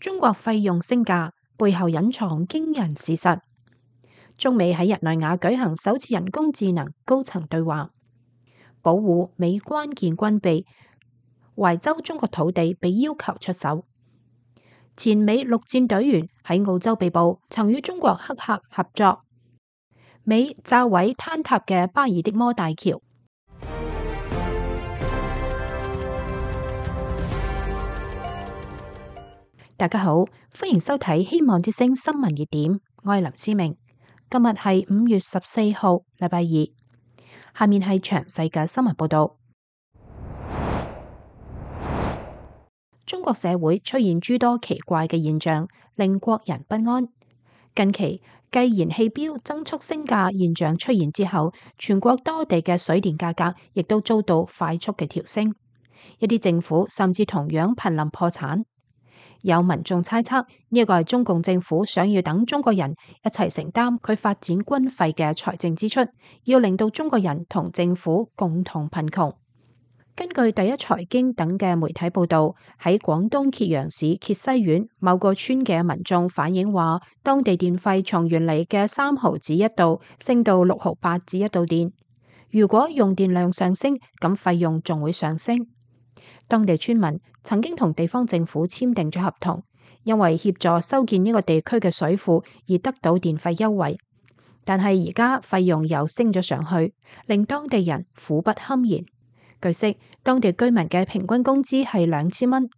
中國費用升價背後隱藏驚人事實。中美喺日內瓦舉行首次人工智能高層對話，保護美關鍵軍備，懷州中國土地被要求出手。前美陸戰隊員喺澳洲被捕，曾與中國黑客合作。美炸毀坍塌嘅巴爾的摩大橋。大家好，歡迎收睇《希望之聲》新聞熱點，我係林思明。今日係5月14號，禮拜二。下面係詳細嘅新聞報道。中國社會出現諸多奇怪嘅現象，令國人不安。近期繼燃氣標增速升價現象出現之後，全國多地嘅水電價格亦都遭到快速嘅調升，一啲政府甚至同樣瀕臨破產。有民眾猜測呢一個係中共政府想要等中國人一齊承擔佢發展軍費嘅財政支出，要令到中國人同政府共同貧窮。根據第一財經等嘅媒體報道，喺廣東揭陽市揭西縣某個村嘅民眾反映話，當地電費從原嚟嘅3毫子一度升到6毫8子一度電。如果用電量上升，咁費用仲會上升。當地村民曾經同地方政府簽訂咗合同，因為協助修建呢個地區嘅水庫而得到電費優惠，但係而家費用又升咗上去，令當地人苦不堪言。據悉，當地居民嘅平均工資係2000蚊，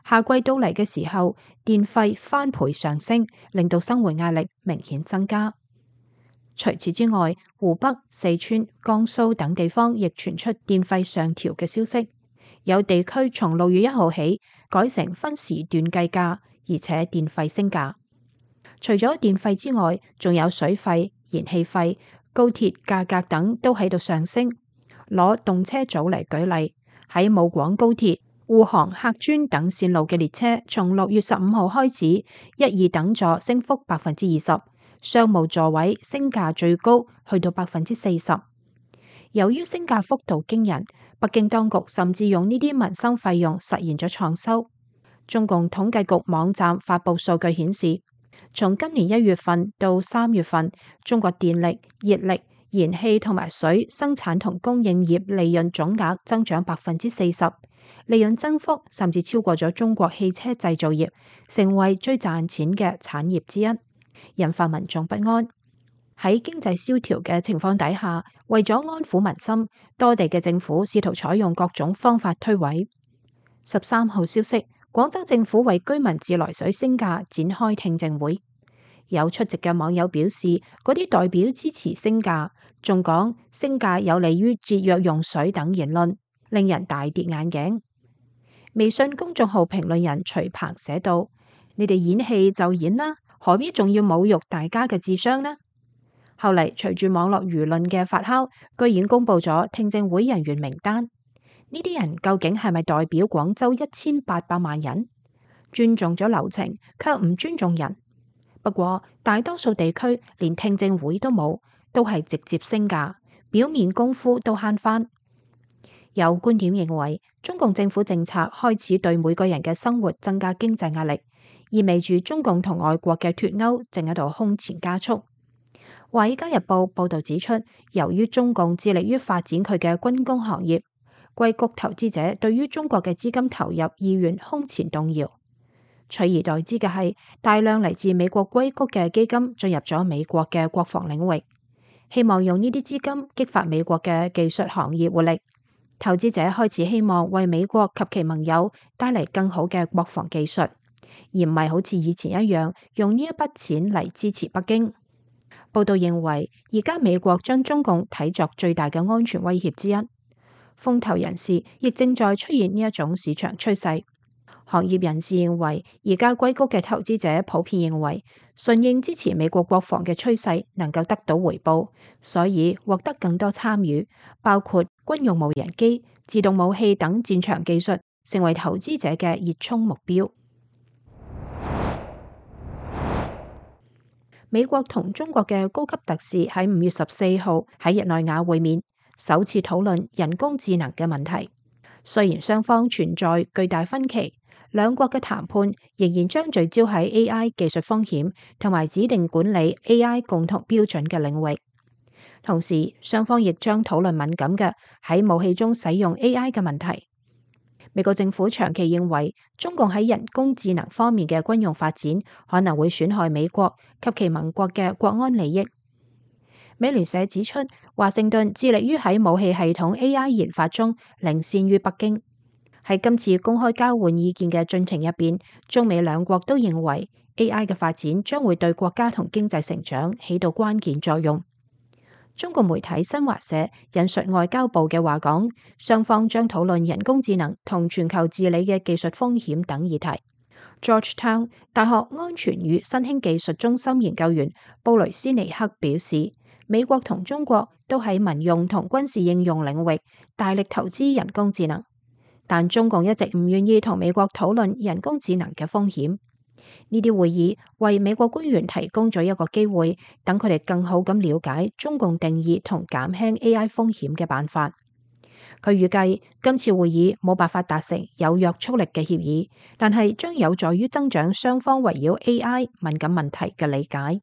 夏季到嚟嘅時候，電費翻倍上升，令到生活壓力明顯增加。除此之外，湖北、四川、江蘇等地方亦傳出電費上調嘅消息。有地區從6月1號起改成分時段計價，而且電費升價。除咗電費之外，仲有水費、燃氣費、高鐵價格等都喺度上升。攞動車組嚟舉例，喺武廣高鐵、滬杭客專等線路嘅列車，從6月15號開始，1、2等座升幅20%，商務座位升價最高去到40%。由於升價幅度驚人，北京當局甚至用呢啲民生費用實現咗創收。中共統計局網站發布數據顯示，從今年1月份到3月份，中國電力、熱力、燃氣同埋水生產同供應業利潤總額增長40%，利潤增幅甚至超過咗中國汽車製造業，成為最賺錢嘅產業之一，引發民眾不安。喺經濟蕭條嘅情況底下，為咗安撫民心，多地嘅政府試圖採用各種方法推諉。13號消息，廣州政府為居民自來水升價展開聽證會。有出席嘅網友表示，嗰啲代表支持升價，仲講升價有利於節約用水等言論，令人大跌眼鏡。微信公眾號評論人徐鵬寫道：你哋演戲就演啦，何必仲要侮辱大家嘅智商呢？後嚟隨住網絡輿論嘅發酵，居然公布咗聽證會人員名單。呢啲人究竟係咪代表廣州1800萬人？尊重咗流程，卻唔尊重人。不過大多數地區連聽證會都冇，都係直接升價，表面功夫都慳返。有觀點認為，中共政府政策開始對每個人嘅生活增加經濟壓力，意味住中共同外國嘅脫鈎正喺度空前加速。《華爾街日報》報道指出，由於中共致力於發展佢嘅軍工行業，硅谷投資者對於中國嘅資金投入意願空前動搖。取而代之嘅係大量嚟自美國硅谷嘅基金進入咗美國嘅國防領域，希望用呢啲資金激發美國嘅技術行業活力。投資者開始希望為美國及其盟友帶嚟更好嘅國防技術，而唔係好似以前一樣用呢一筆錢嚟支持北京。報道認為，而家美國將中共睇作最大嘅安全威脅之一。風投人士亦正在出現呢一種市場趨勢。行業人士認為，而家硅谷嘅投資者普遍認為，順應支持美國國防嘅趨勢能夠得到回報，所以獲得更多參與，包括軍用無人機、自動武器等戰場技術，成為投資者嘅熱衷目標。美國同中國嘅高級特使喺5月14號喺日內瓦會面，首次討論人工智能嘅問題。雖然雙方存在巨大分歧，兩國嘅談判仍然將聚焦喺 AI 技術風險同埋指定管理 AI 共同標準嘅領域。同時，雙方亦將討論敏感嘅喺武器中使用 AI 嘅問題。美國政府長期認為，中共喺人工智能方面嘅軍用發展可能會損害美國及其盟國嘅國安利益。美聯社指出，華盛頓致力於喺武器系統 AI 研發中領先於北京。喺今次公開交換意見嘅進程入邊，中美兩國都認為 AI 嘅發展將會對國家同經濟成長起到關鍵作用。中國媒體新華社引述外交部嘅話講，雙方將討論人工智能同全球治理嘅技術風險等議題。Georgetown 大學安全與新興技術中心研究員布雷斯尼克表示，美國同中國都喺民用同軍事應用領域大力投資人工智能，但中共一直唔願意同美國討論人工智能嘅風險。呢啲會議為美國官員提供咗一個機會，等佢哋更好咁了解中共定義同減輕 AI 風險嘅辦法。佢預計今次會議冇辦法達成有約束力嘅協議，但係將有助於增長雙方圍繞 AI 敏感問題嘅理解。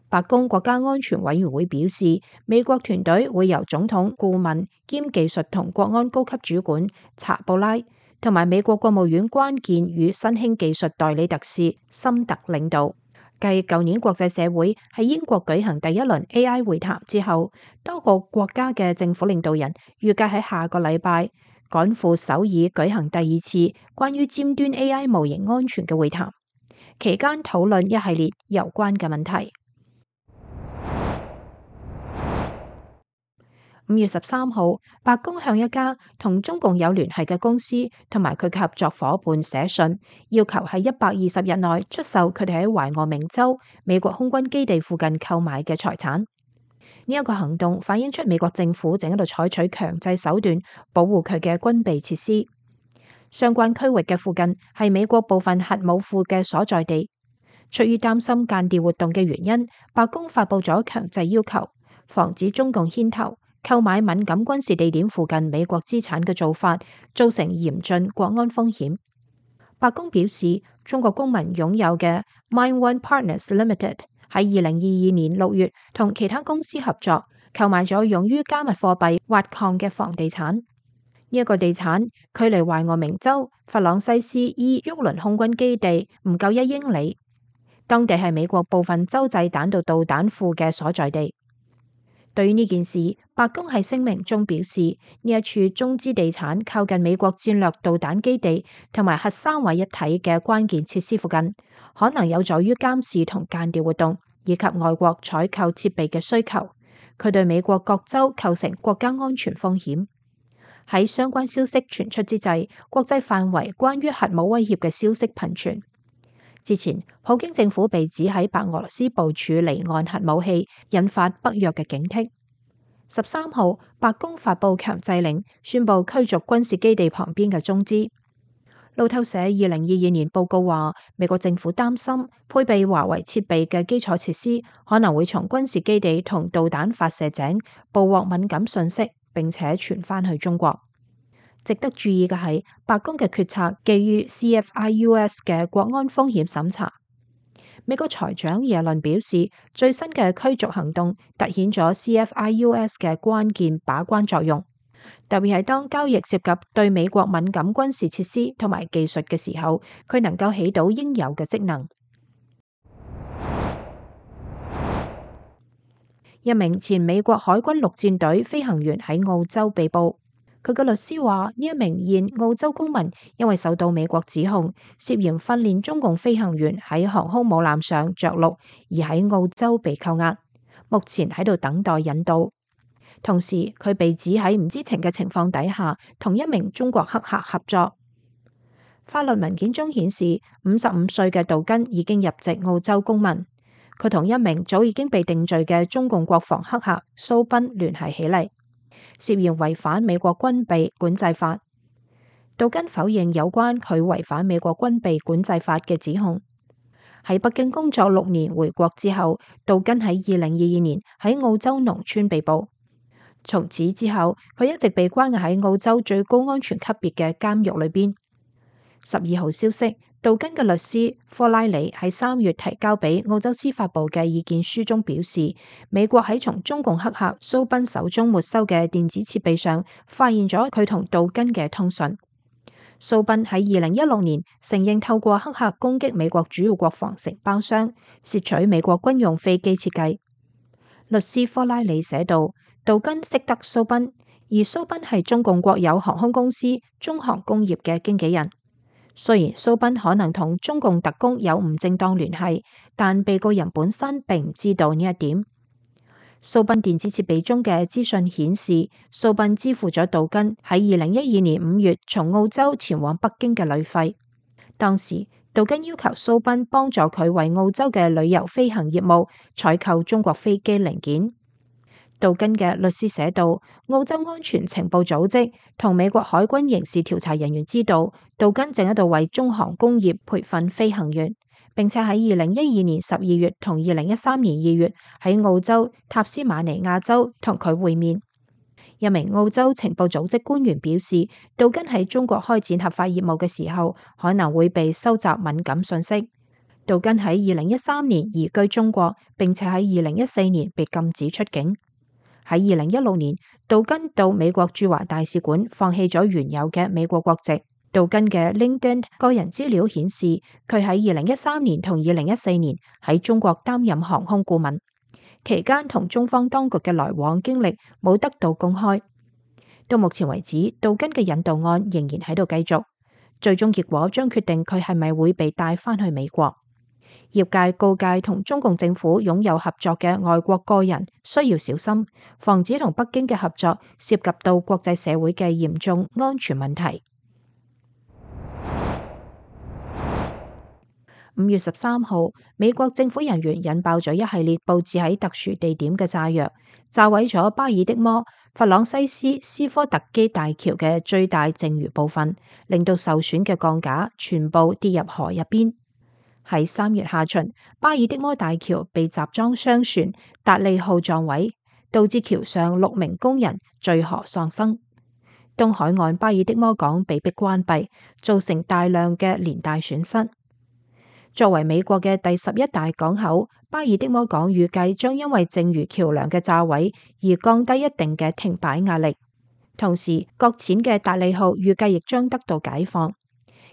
白宮國家安全委員會表示，美國團隊會由總統顧問兼技術同國安高級主管查布拉同埋美國國務院關鍵與新興技術代理特使森特領導。繼舊年國際社會喺英國舉行第一輪 AI 會談之後，多個國家嘅政府領導人預計喺下個禮拜趕赴首爾舉行第二次關於尖端 AI 模型安全嘅會談，期間討論一系列有關嘅問題。5月13號，白宮向一家同中共有聯繫嘅公司同埋佢嘅合作夥伴寫信，要求喺120日內出售佢哋喺懷俄明州美國空軍基地附近購買嘅財產。呢一個行動反映出美國政府正喺度採取強制手段保護佢嘅軍備設施。相關區域嘅附近係美國部分核武庫嘅所在地。出於擔心間諜活動嘅原因，白宮發佈咗強制要求，防止中共牽頭購買敏感軍事地點附近美國資產嘅做法，造成嚴峻國安風險。白宮表示，中國公民擁有嘅 MineOne Partners Limited 喺2022年6月同其他公司合作，購買咗用於加密貨幣挖礦嘅房地產。呢一個地產距離懷俄明州弗朗西斯伊沃倫空軍基地唔夠1英里，當地係美國部分洲際彈道導彈庫嘅所在地。對於呢件事，白宮喺聲明中表示，呢一處中資地產靠近美國戰略導彈基地同埋核三位一體嘅關鍵設施附近，可能有助於監視同間諜活動，以及外國採購設備嘅需求。佢對美國各州構成國家安全風險。喺相關消息傳出之際，國際範圍關於核武威脅嘅消息頻傳。之前，普京政府被指喺白俄羅斯部署離岸核武器，引發北約嘅警惕。13號，白宮發布強制令，宣布驅逐軍事基地旁邊嘅中資。路透社2022年報告話，美國政府擔心配備華為設備嘅基礎設施可能會從軍事基地同導彈發射井捕獲敏感信息，並且傳返去中國。值得注意嘅係，白宮嘅決策基於 CFIUS 嘅國安風險審查。美國財長耶倫表示，最新嘅驅逐行動凸顯咗 CFIUS 嘅關鍵把關作用，特別係當交易涉及對美國敏感軍事設施同埋技術嘅時候，佢能夠起到應有嘅職能。一名前美國海軍陸戰隊飛行員喺澳洲被捕。佢嘅律師話，呢一名現澳洲公民因為受到美國指控，涉嫌訓練中共飛行員喺航空母艦上着陸，而喺澳洲被扣押，目前喺度等待引渡。同時，佢被指喺唔知情嘅情況底下，同一名中國黑客合作。法律文件中顯示，55歲嘅杜根已經入籍澳洲公民，佢同一名早已經被定罪嘅中共國防黑客蘇賓聯繫起嚟，涉嫌違反美國軍備管制法。杜根否認有關佢違反美國軍備管制法嘅指控。喺北京工作6年回國之後，杜根喺2022年喺澳洲農村被捕。從此之後，佢一直被關押喺澳洲最高安全級別嘅監獄裏邊。12號消息，杜根嘅律師科拉里喺3月提交俾澳洲司法部嘅意見書中表示，美國喺從中共黑客蘇賓手中沒收嘅電子設備上發現咗佢同杜根嘅通訊。蘇賓喺2016年承認透過黑客攻擊美國主要國防承包商，竊取美國軍用飛機設計。律師科拉里寫道，杜根識得蘇賓，而蘇賓係中共國有航空公司中航工業嘅經紀人。雖然蘇賓可能同中共特工有唔正當聯繫，但被告人本身並唔知道呢一點。蘇賓電子設備中嘅資訊顯示，蘇賓支付咗杜根喺2012年5月從澳洲前往北京嘅旅費。當時杜根要求蘇賓幫助佢為澳洲嘅旅遊飛行業務採購中國飛機零件。杜根嘅律師寫道，澳洲安全情報組織同美國海軍刑事調查人員知道，杜根正喺度為中航工業培訓飛行員，並且喺2012年12月同2013年2月喺澳洲塔斯馬尼亞州同佢會面。一名澳洲情報組織官員表示，杜根喺中國開展合法業務嘅時候，可能會被收集敏感信息。杜根喺2013年移居中國，並且喺2014年被禁止出境。喺2016年，杜根到美國駐華大使館放棄咗原有嘅美國國籍。杜根嘅 LinkedIn 個人資料顯示，佢喺2013年同2014年喺中國擔任航空顧問，期間同中方當局嘅來往經歷冇得到公開。到目前為止，杜根嘅引渡案仍然喺度繼續，最終結果將決定佢係咪會被帶返去美國。業界告誡同中共政府擁有合作嘅外國個人需要小心，防止同北京嘅合作涉及到國際社會嘅嚴重安全問題。5月13號，美國政府人員引爆咗一系列佈置喺特殊地點嘅炸藥，炸毀咗巴爾的摩弗朗西斯斯科特基大橋嘅最大剩餘部分，令到受損嘅鋼架全部跌入河入邊。喺3月下旬，巴爾的摩大橋被集裝箱船達利號撞毀，導致橋上6名工人墜河喪生。東海岸巴爾的摩港被迫關閉，造成大量嘅連帶損失。作為美國嘅第11大港口，巴爾的摩港預計將因為剩餘橋梁嘅炸毀而降低一定嘅停擺壓力。同時，擱淺嘅達利號預計亦將得到解放。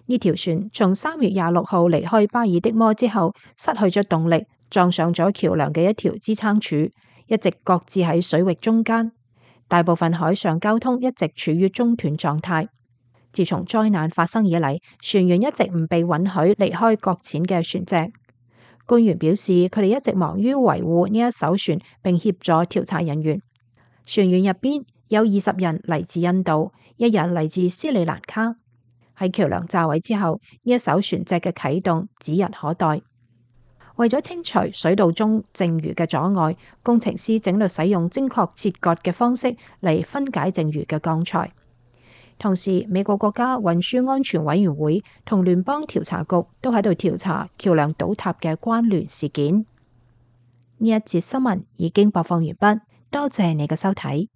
呢條船從3月26號離開巴爾的摩之後，失去咗動力，撞上咗橋梁嘅一條支撐柱，一直擱置喺水域中間。大部分海上交通一直處於中斷狀態。自從災難發生以嚟，船員一直唔被允許離開擱淺嘅船隻。官員表示，佢哋一直忙於維護呢一艘船，並協助調查人員。船員入邊有20人嚟自印度，1人嚟自斯里蘭卡。喺橋梁炸毀之後，呢一艘船隻嘅啟動指日可待。為咗清除水道中剩餘嘅阻礙，工程師整律使用精確切割嘅方式嚟分解剩餘嘅鋼材。同時，美國國家運輸安全委員會同聯邦調查局都喺度調查橋梁倒塌嘅關聯事件。呢一節新聞已經播放完畢，多謝你嘅收睇。